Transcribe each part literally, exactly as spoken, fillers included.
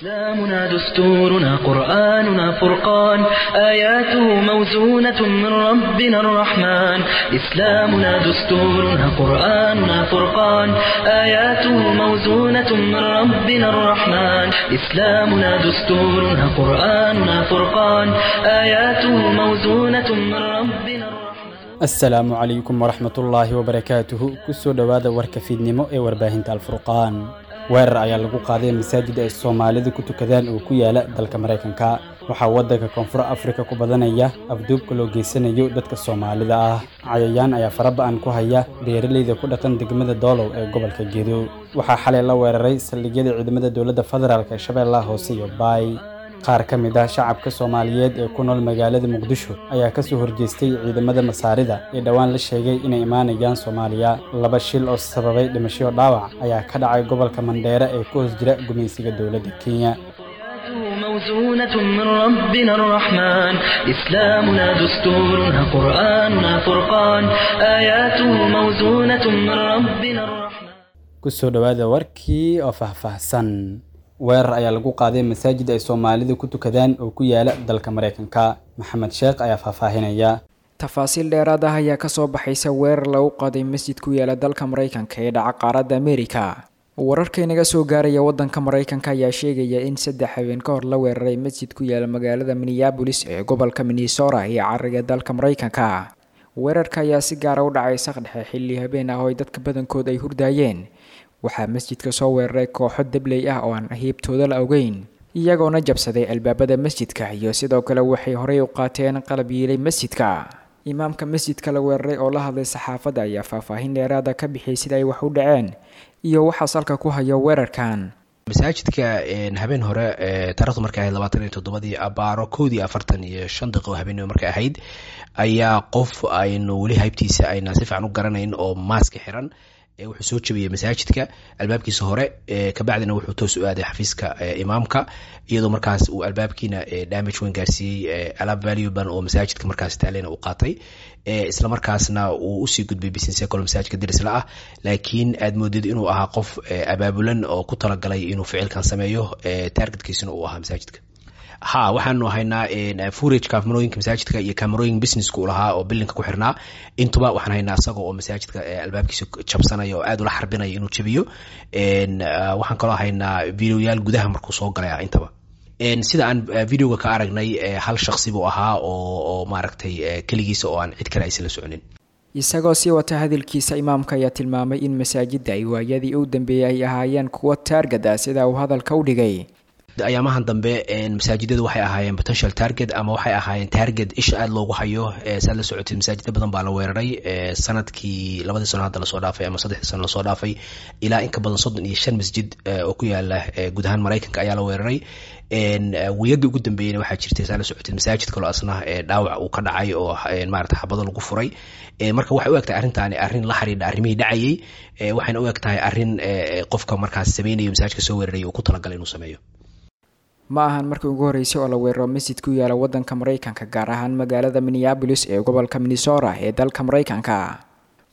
إسلامنا دستورنا قرآننا فرقان آياته موزونة من ربنا الرحمن إسلامنا دستورنا قرآننا فرقان آياته موزونة من ربنا الرحمن إسلامنا دستورنا قرآننا فرقان آياته موزونة من ربنا الرحمن. Asalaamu calaykum waraxmatullaahi wabarakaatuhu. Kusoo dhowaada warka fiidnimo ee warbaahinta Alfurqaan. Weerar ayaa lagu qaaday masaajid ay Soomaalidu ku tukadaan oo ku yaala dalka Maraykanka. Waxaa waddanka Koonfur Afrika ku badanaya afduubka loo geysanayo dadka Soomaalida ah. Cayayaan ayaa faraba'an ku haya beeraleyda ku dhaqan degmada Doolow ee gobolka Gedo. Waxaa xalay la weeraray saldhigyada ciidamada dowladda federaalk ee Shabeellaha Hoose iyo Baay. Qaar ka mid ah shacabka Soomaaliyeed ee ku nool magaalada Muqdisho ayaa ka soo horjeestay ciidamada Masaarida ee dhowaan la sheegay inay imaanayaan Soomaaliya. Laba shil oo sababay dhimasho dhaawac ayaa ka dhacay gobolka Mandheera ee ku hoos jira gumaysiga dowladda Kenya. موزونة من ربنا الرحمن إسلامنا دستورنا قرآننا فرقان آياته موزونة من ربنا الرحمن. Kusoo dhowaada warkii oo faahfaahsan. Weerar ayaa lagu qaaday masaajid ay Soomaalidu ku tukadaan oo ku yaala dalka Maraykanka. Maxamed Sheekh ayaa faahfaahinaya. Tafaasiil dheeraad ah ayaa kasoo baxaysa weerar lagu qaaday masjid ku yaala dalka Maraykanka ee dhaca qaaradda Ameerika. Wararka inaga soo gaaraya wadanka Maraykanka ayaa sheegaya in saddex habeen ka hor la weeraray masjid ku yaala magaalada Minneapolis ee gobolka Minnesota ee cariga dalka Maraykanka. Weerarka ayaa si gaara u dhacay saqdhexe xilli habeen ah oo ay dadka badankood ay hurdaayeen. Waxaa masjidka soo weeraray kooxo dabley ah oo aan hiibtooda la ogeyn, iyagoona jabsaday albaabada masjidka iyo sidoo kale waxay horey u qaateen qalab yiilay masjidka. Imaamka masjidka la weeraray oo la hadlay saxaafadda ayaa faahfaahin dheeraada ka bixiyay sida ay wax u dhaceen iyo waxaa salka ku hayo weerarkan. Masaajidka habeen hore taarikhdu markay ahayd labaatan iyo toddobadii abaaro kowdii afartan iyo shan daqiiqo habeenimo markay ahayd ayaa qof aynu weli haybtiisa ayna si fiican u garanayn oo maaska xiran wuxuu soo jabiyey masaajidka albaabkiisa hore, kabacdina wuxuu toos u aaday xafiiska imaamka, iyadoo markaas uu albaabkiina damage weyn gaarsiiyey, alaab valueban oo masaajidka markaas taalena uu qaatay, isla markaasna uu usii gudbay business col masaajidka dirisla ah. Laakiin aad moodid inuu ahaa qof abaabulan oo ku talagalay inuu ficilkan sameeyo, targetkiisuna uu ahaa masaajidka. Ha, waxaanu haynaa footage kaamarooyinka masaajidka iyo kaamarooyin businesska uu lahaa oo bilinka ku xirnaa. Intuba waxaan haynaa isaga oo masaajidka albaabkiisa jabsanaya oo aad ula xarbinaya inuu jabiyo. Waxaan kaloo haynaa videoyaal gudaha markuu soo galay. Intaba sida aan videoga ka aragnay, hal shaksi buu ahaa oo oo maaragtay keligiisa oo aan cid kale aysan la soconin. Isagoo sii wata hadalkiisa, imaamka ayaa tilmaamay in masaajidda ay waayadii u dambeeyay ay ahaayeen kuwo target ah, sida uu hadalka u dhigay. Ayaamahan dambe masaajidadu waxay ahaayeen potential target ama waxay ahaayeen target isha aada loogu hayo. Saad la socotid, masaajida badan baa la weeraray sanadkii, labadii sano hadda lasoo dhaafay ama saddexdii sano lasoo dhaafay. Ilaa in ka badan soddon iyo shan masjid oo ku yaala guud ahaan Maraykanka ayaa la weeraray. Wiyagii ugu dambeeyeyna waxaa jirtay, saa la socotid, masaajid kaloo asna dhaawac uu ka dhacay oo maarata xabado lagu furay. Marka waxay u eg tahay arrintaani arrin la xiriidha arrimihii dhacayay, waxayna u eg tahay arrin qofka markaas sameynayo masaajidka soo weeraray uu ku talagalay inuu sameeyo. Ma ahan markii ugu horreysay oo la weeraro masjid ku yaala waddanka Maraykanka, gaar ahaan magaalada Minneapolis ee gobolka Minnesota ee dalka Maraykanka.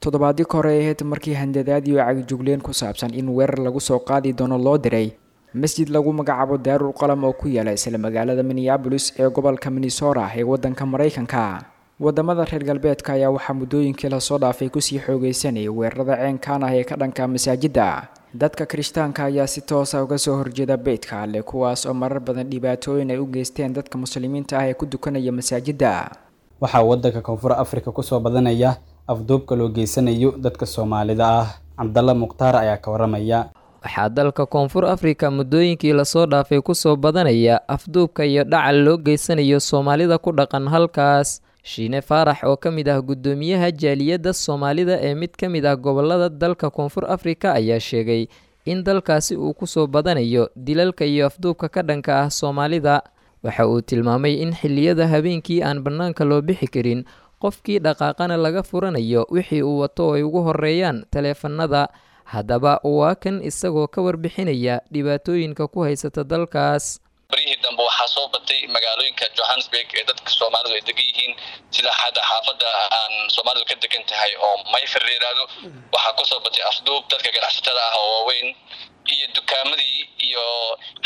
Toddobaadii ka hore ahayd markii handadaad iyo cagjugleen ku saabsan in weerar lagu soo qaadi doono loo diray masjid lagu magacaabo Daarul Qalam oo ku yaala isla magaalada Minneapolis ee gobolka Minnesota ee waddanka Maraykanka. Wadamada reer galbeedka ayaa waxaa muddooyinkii lasoo dhaafay kusii xoogeysanayay weerarada ceenkan ah ee ka dhanka masaajidda. Dadka Kirishtaanka ayaa si toosa uga soo horjeeda beytka Alle, kuwaas oo marar badan dhibaatooyin ay u geysteen dadka Muslimiinta ah ee ku dukanaya masaajidda. Waxaa waddanka Koonfur Afrika kusoo badanaya afduubka loo geysanayo dadka Soomaalida ah. Cabdalla Mukhtaar ayaa ka waramaya. Waxaa dalka Koonfur Afrika muddooyinkii lasoo dhaafay kusoo badanaya afduubka iyo dhacal loo geysanayo Soomaalida ku dhaqan halkaas. Shiine Faarax oo ka mid ah guddoomiyaha jaaliyadda Soomaalida ee mid ka mid ah gobolada dalka Koonfur Afrika ayaa sheegay in dalkaasi uu kusoo badanayo dilalka iyo afduubka ka dhanka ah Soomaalida. Waxa uu tilmaamay in xilliyada habeenkii aan bannaanka loo bixi karin, qofkii dhaqaaqana laga furanayo wixii uu wato oo ay ugu horeeyaan taleefanada. Haddaba waa kan isagoo ka warbixinaya dhibaatooyinka ku haysata dalkaas. Baryihii dambe waxaa soo batay magaalooyinka Johannesburg ee dadka Soomaalidu ay degan yihiin, sida hadda xaafadda aan Soomaalidu ka degan tahay oo Mayfair la yidhaahdo, waxaa kusoo batay afduub dadka ganacsatada ah oo waaweyn iyo dukaamadii iyo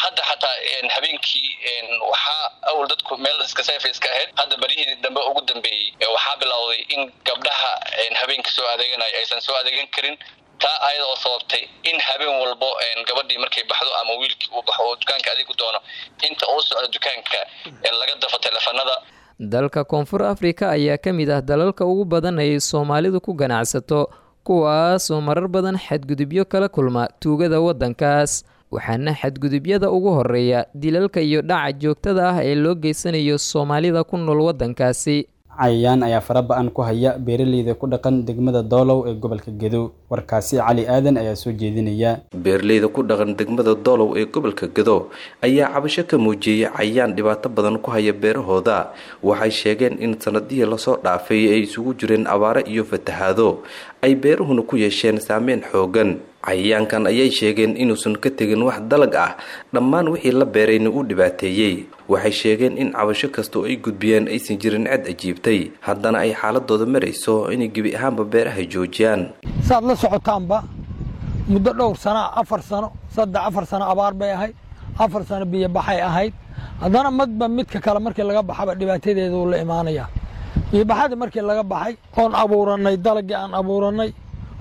hadda xataa. Xataa habeenkii waxaa awal dadku meel iska safe iska ahayd, hadda baryihii dambe ugu dambeeyey waxaa bilowday in gabdhaha habeenka soo adeeganaya aysan soo adeegan karin, taa ayada oo sababtay in habeen walbo gabadhii markay baxdo ama wiilkii uu baxo oo dukaanka adeeg u doono, inta uu socdo dukaanka laga dafo teleefanada. Dalka Koonfur Afrika ayaa ka mid ah dalalka ugu badan ay Soomaalidu ku ganacsato, kuwaasoo marar badan xadgudubyo kala kulma tuugada waddankaas, waxaana xadgudubyada ugu horeeya dilalka iyo dhaca joogtada ah ee loo geysanayo Soomaalida ku nool waddankaasi. Cayayaan ayaa fara ba-an ku haya beeraleyda ku dhaqan degmada Doolow ee gobolka Gedo. Warkaasi Cali Aadan ayaa soo jeedinaya. Beeraleyda ku dhaqan degmada Doolow ee gobolka Gedo ayaa cabasho ka muujiyey cayayaan dhibaato badan ku haya beerahooda. Waxay sheegeen in sanadihii lasoo dhaafay ay isugu jireen abaaro iyo fatahaado, ay beeruhuna ku yeesheen saameyn xoogan. Cayayaankan ayay sheegeen inuusan ka tegin wax dalag ah, dhammaan wixii la beerayna uu dhibaateeyey. Waxay sheegeen in cabasho kasta oo ay gudbiyeen aysan jirin cid ajiibtay, haddana ay xaaladooda marayso inay gebi ahaanba beeraha joojiyaan. Saad la socotaanba muddo dhowr sana, afar sano, saddex afar sano abaar bay ahayd, afar sano biyobaxay ahayd. Haddana madba midka kale markii laga baxaba dhibaatadeedu la imaanaya. Biyobaxadii markii laga baxay oon abuurannay dalagii aan abuurannay,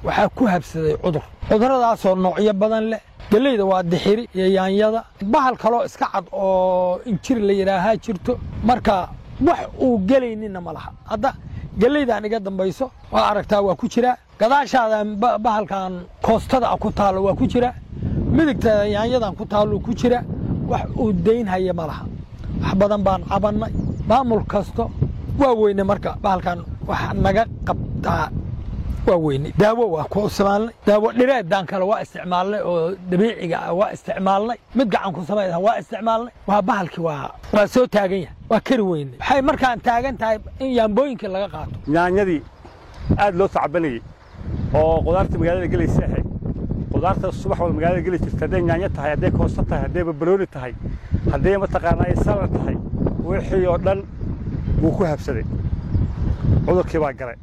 waxaa ku habsaday cudur, cuduradaasoo noocyo badan leh. Geleyda waa dixiri iyo yaanyada, bahal kaloo iska cad oo injir la yidhaahaa jirto. Marka wax uu gelayninna ma laha. Hadda geleydaan iga dambayso waa aragtaa, waa ku jiraa. Gadaashaadan bahalkan koostada ku taallo waa ku jira, midigta yaanyadan ku taallo ku jira. Wax uu daynhaya ma laha. Wax badan baan cabannay, maamul kasto waa weyne. Marka bahalkan wax naga qabtaa waa weyne. Daawo waa ku isticmaalnay, daawo dhireedaan kale waa isticmaalnay, oo dabiiciga ah waa isticmaalnay, mid gacan ku samaysan waa isticmaalnay. Waa bahalkii waa waa soo taagan yahay, waa kari weyne. Waxay markaan taagan tahay in yaambooyinkii laga qaato. Yaanyadii aad loo tacbanayey oo qudaarta magaalada gelaysa ahayd, qudaarta subax walba magaalada geli jirta, hadday yaanyo tahay, hadday koosto tahay, hadday barbarooni tahay, hadday mataqaanaa ay salad tahay, wixii oo dhan wuu ku habsaday, cudurkii baa galay.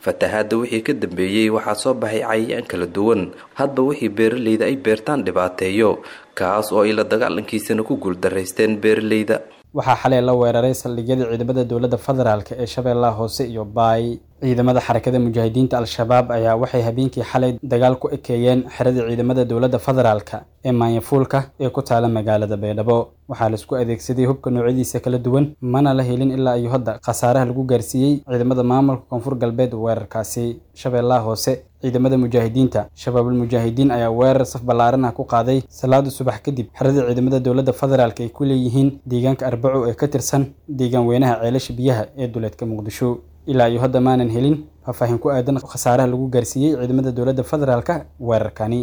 Fatahaadda wixii ka dambeeyey waxaa soo baxay cayayaan kala duwan, hadba wixii beeraleyda ay beertaan dhibaateeyo, kaas oo ay la dagaalankiisana ku guuldaraysteen beeraleyda. Waxaa xalay la weeraray saldhigyada ciidamada dowladda federaalk ee Shabeellaha Hoose iyo Baay. Ciidamada Xarakada Mujaahidiinta Al-Shabaab ayaa waxay habeenkii xalay dagaal ku ekeeyeen xerada ciidamada dowladda federaalk ee Maanyafuulka ee ku taala magaalada Baydhabo. Waxaa laisku adeegsaday hubka noocyadiisa kala duwan, mana la helin ilaa iyo hadda khasaaraha lagu gaarsiiyey ciidamada maamulka Koonfur Galbeed weerarkaasi. Shabeellaha Hoose, ciidamada mujaahidiinta Shabaabul Mujaahidiin ayaa weerar saf ballaaran ah ku qaaday salaada subax kadib xerada ciidamada dowladda federaalk ay ku leeyihiin deegaanka Arbaco ee ka tirsan deegaan weynaha Ceelasha Biyaha ee duleedka Muqdisho. Ilaa iyo hadda maanan helin faahfaahin ku aadan khasaaraha lagu gaarsiiyey ciidamada dowladda federaalka weerarkani.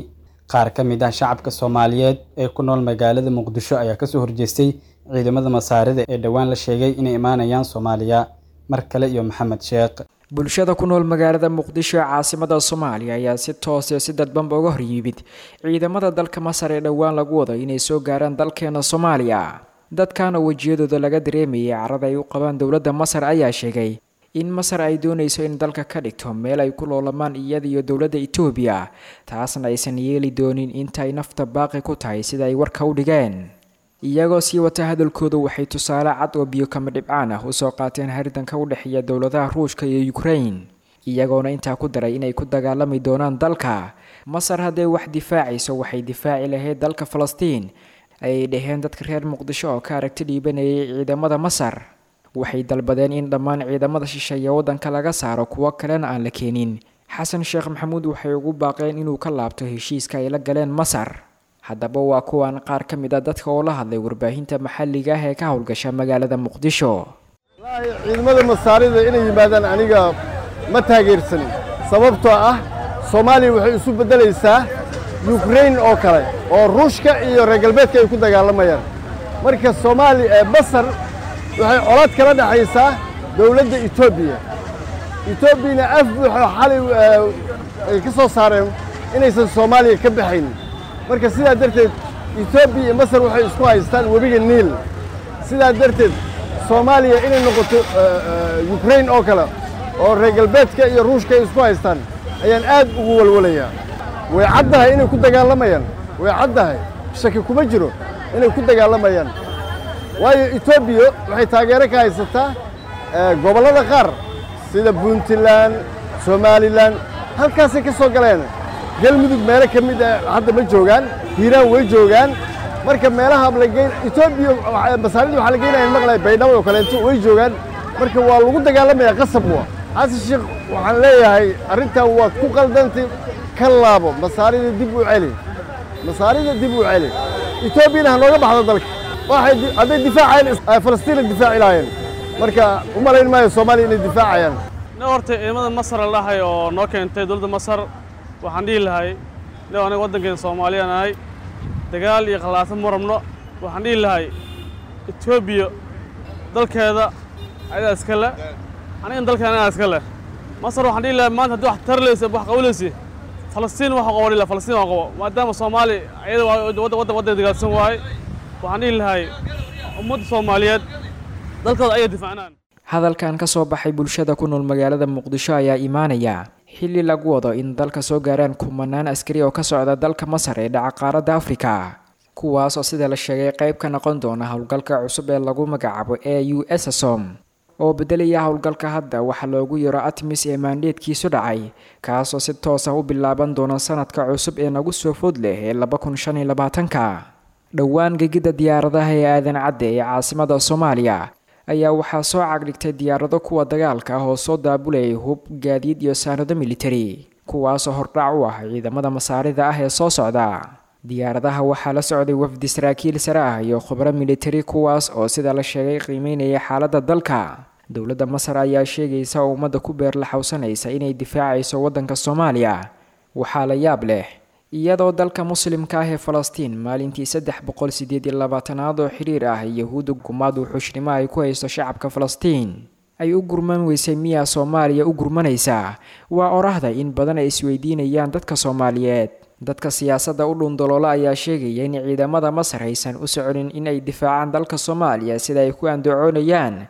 Qaar ka mid ah shacabka Soomaaliyeed ee ku nool magaalada Muqdisho ayaa kasoo horjeestay ciidamada Masaarida ee dhowaan la sheegay inay imaanayaan Soomaaliya. Mar kale iyo Maxamed Sheekh. Bulshada ku nool magaalada Muqdisho ee caasimada Soomaaliya ayaa si toos iyo si dadbanba uga hor yimid ciidamada dalka Masar ee dhowaan lagu wado inay soo gaaraan dalkeena Soomaaliya. Dadkan oo wejiyadooda laga dareemayay carada ay u qabaan dowladda Masar ayaa sheegay in Masar ay doonayso in dalka ka dhigto meel ay ku loolamaan iyada iyo dowladda Itoobiya, taasna aysan yeeli doonin inta ay nafta baaqi ku tahay, sida ay warka u dhigeen. Iyagoo sii wata hadalkooda, waxay tusaale cad oo biyo kama dhibcaan ah usoo qaateen haridanka u dhexeeya dowladaha Ruushka iyo Ukraine, iyagoona intaa ku daray inay ku dagaalami doonaan dalka Masar. Hadday wax difaacayso waxay difaaci lahayd dalka Falastiin, ayay dhaheen dadka reer Muqdisho oo ka aragti dhiibanayay ciidamada Masar. Waxay dalbadeen in dhammaan ciidamada shisheeye waddanka laga saaro, kuwo kalena aan la keenin. Xasan Sheekh Maxamuud waxay ugu baaqeen inuu ka laabto heshiiska ay la galeen Masar. Haddaba waa kuwan qaar ka mid a dadka oo la hadlay warbaahinta maxalliga ah ee ka howlgasha magaalada Muqdisho. Ciidamada Masaarida inay yimaadaan aniga ma taageersanin, sababtoo ah Soomaaliya waxay isu beddelaysaa Yukrain oo kale oo Ruushka iyo reer galbeedka ay ku dagaalamayaan. Marka Soomaaliya, Masar waxay colaad kala dhexaysaa dowladda Etoobiya. Etoobiyana af buuxo xalay ay ka soo saareen inaysan Soomaaliya ka baxaynin. Marka sidaa darteed Etoobiya iyo Masar waxay isku haystaan webiga Niil. Sidaa darteed Soomaaliya inay noqoto Yukrain oo kale oo reer galbeedka iyo Ruushka ay isku haystaan ayaan aad ugu walwalayaa. Way caddahay inay ku dagaalamayaan, way caddahay, shaki kuma jiro. inay ku dagaalamayaan. Waayo Etoobiya waxay taageero ka haysataa gobollada qaar sida Puntland, Somaliland, halkaasay ka soo galeen. Galmudug meelo ka mid ah hadda ma joogaan, Hiiraan way joogaan. Marka meelaha la geyn Etoobiya Masaarida waxaa la geynaya maqlay Baydhabo oo kaleeto way joogaan. Marka waa lagu dagaalamayaa qasab waa. Xasan Sheekh waxaan leeyahay arrintan waad ku qaldantay, ka laabo Masaarida dib u celi, Masaarida dib u celi, Etoobiyana ha nooga baxdo dalka. Waxay hadday difaacayeen Falastiin difaaci lahaayeen, marka u malayn maayo Soomaaliya inay difaacayaan. Ne horta ciidamada Masar la dhahay oo noo keentay dowladda Masar, waxaan dhihi lahay ne aniga waddankeena Soomaaliya nahay, dagaal iyo khalaasa ma rabno. Waxaan dhihi lahay Etoobiya dalkeeda ayadaa iska le, anigan dalkeena anagaa iska leh. Masar waxaan dhihi lahay maanta haddii wax tarleysa wax qabanaysa Falastiin waxa qabo dhihi lahay, Falastiin waa qabo, maadaama Soomaali ayada waddan waddan waddan dagaalsan waaye. Waxaan dhihi lahay ummadda Soomaaliyeed dalkooda ayay difaacnaan. Hadalkan ka soo baxay bulshada ku nool magaalada Muqdisho ayaa imaanaya xilli lagu wado in dalka soo gaaraan kumanaan askari oo ka socda dalka Masar ee dhaca qaaradda Afrika, kuwaas oo sida la sheegay qayb ka noqon doona howlgalka cusub ee lagu magacaabo A U S SOM oo bedelaya howlgalka hadda waxa loogu yeero ATMIS ee maandheedkiisu dhacay, kaasoo si toos ah u bilaaban doona sanadka cusub ee nagu soo food leh ee laba kun shan iyo labaatanka. Dhowaan gegida diyaaradaha ee Aadan Cadde ee caasimada Soomaaliya ayaa waxaa soo cagdhigtay diyaarado kuwa dagaalka ah oo soo daabulayay hub, gaadiid iyo saanado militari, kuwaasoo hordhac u ah ciidamada Masaarida ah ee soo socda. Diyaaradaha waxaa la socday wafdi saraakiil sare ah iyo khubro militari, kuwaas oo sida la sheegay qiimeynaya xaaladda dalka. Dowladda Masar ayaa sheegaysa oo ummadda ku beer la xawsanaysa inay difaacayso waddanka Soomaaliya. Waxaa la yaab leh iyadoo dalka muslimka ah ee Falastiin maalintii saddex boqol sideed iyo labaatanaad oo xiriir ah Yahuudda gumaad wuxuushnimo ay ku haysto shacabka Falastiin ay u gurman weysay, miyaa Soomaaliya u gurmanaysa? Waa orahda in badan ay isweydiinayaan dadka Soomaaliyeed. Dadka siyaasadda u dhundaloola ayaa sheegaya in ciidamada Masar aysan u soconin in ay difaacaan dalka Soomaaliya sida ay ku andacoonayaan,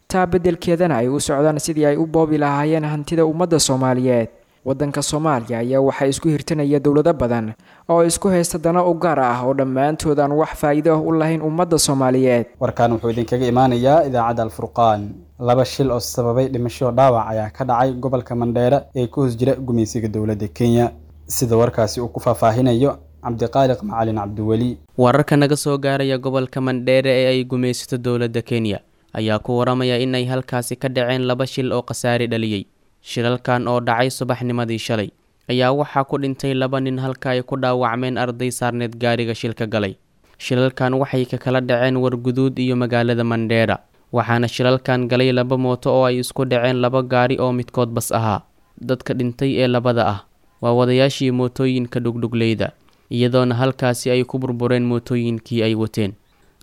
taa beddelkeedana ay u socdaan sidii ay u boobi lahaayeen hantida ummadda Soomaaliyeed. Waddanka Soomaaliya ayaa waxaa isku hirtanaya dowlado badan oo isku haysta dano u gaar ah oo dhammaantood aan wax faa'iido ah u lahayn ummadda Soomaaliyeed. Warkaan wuxuu idinkaga imaanayaa idaacadda Alfurqaan. Laba shil oo sababay dhimasho dhaawac ayaa ka dhacay gobolka Mandheera ee ku hoos jira gumaysiga dowladda Kenya. Sida warkaasi uu ku faahfaahinayo Cabdiqaaliq Macalin Cabdiweli. Wararka naga soo gaaraya gobolka Mandheera ee ay gumaysato dowladda Kenya ayaa ku waramaya inay halkaasi ka dhaceen laba shil oo khasaare dhaliyey. Shilalkan oo dhacay subaxnimadii shalay ayaa waxaa ku dhintay laba nin halka ay ku dhaawacmeen arday saarneed gaariga shilka galay. Shilalkan waxay ka kala dhaceen Warguduud iyo magaalada Mandheera, waxaana shilalkan galay laba mooto oo ay isku dhaceen laba gaari oo midkood bas ahaa. Dadka dhintay ee labada ah waa wadayaashii mootooyinka dhugdhugleyda, iyadoona halkaasi ay ku burbureen mootooyinkii ay wateen.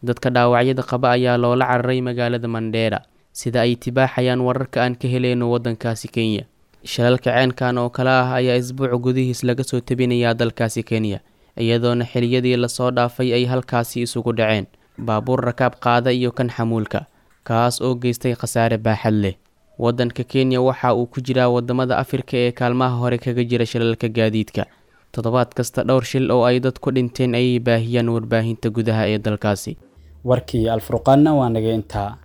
Dadka dhaawacyada qaba ayaa loola cararay magaalada Mandheera, sida ay tibaaxayaan wararka aan ka heleyno waddankaasi Kenya. Shilalka ceenkan oo kale ah ayaa isbuuc gudihiis laga soo tebinayaa dalkaasi Kenya, iyadoona xiliyadii lasoo dhaafay ay halkaasi isugu dhaceen baabuur rakaab qaada iyo kan xamuulka, kaas oo geystay khasaare baaxad leh. Waddanka Kenya waxa uu ku jiraa wadamada Afrika ee kaalmaha hore kaga jira shilalka gaadiidka. Toddobaad kasta dhowr shil oo ay dad ku dhinteen ayay baahiyaan warbaahinta gudaha ee dalkaasi. Warkii Alfurqaanna waa naga intaa.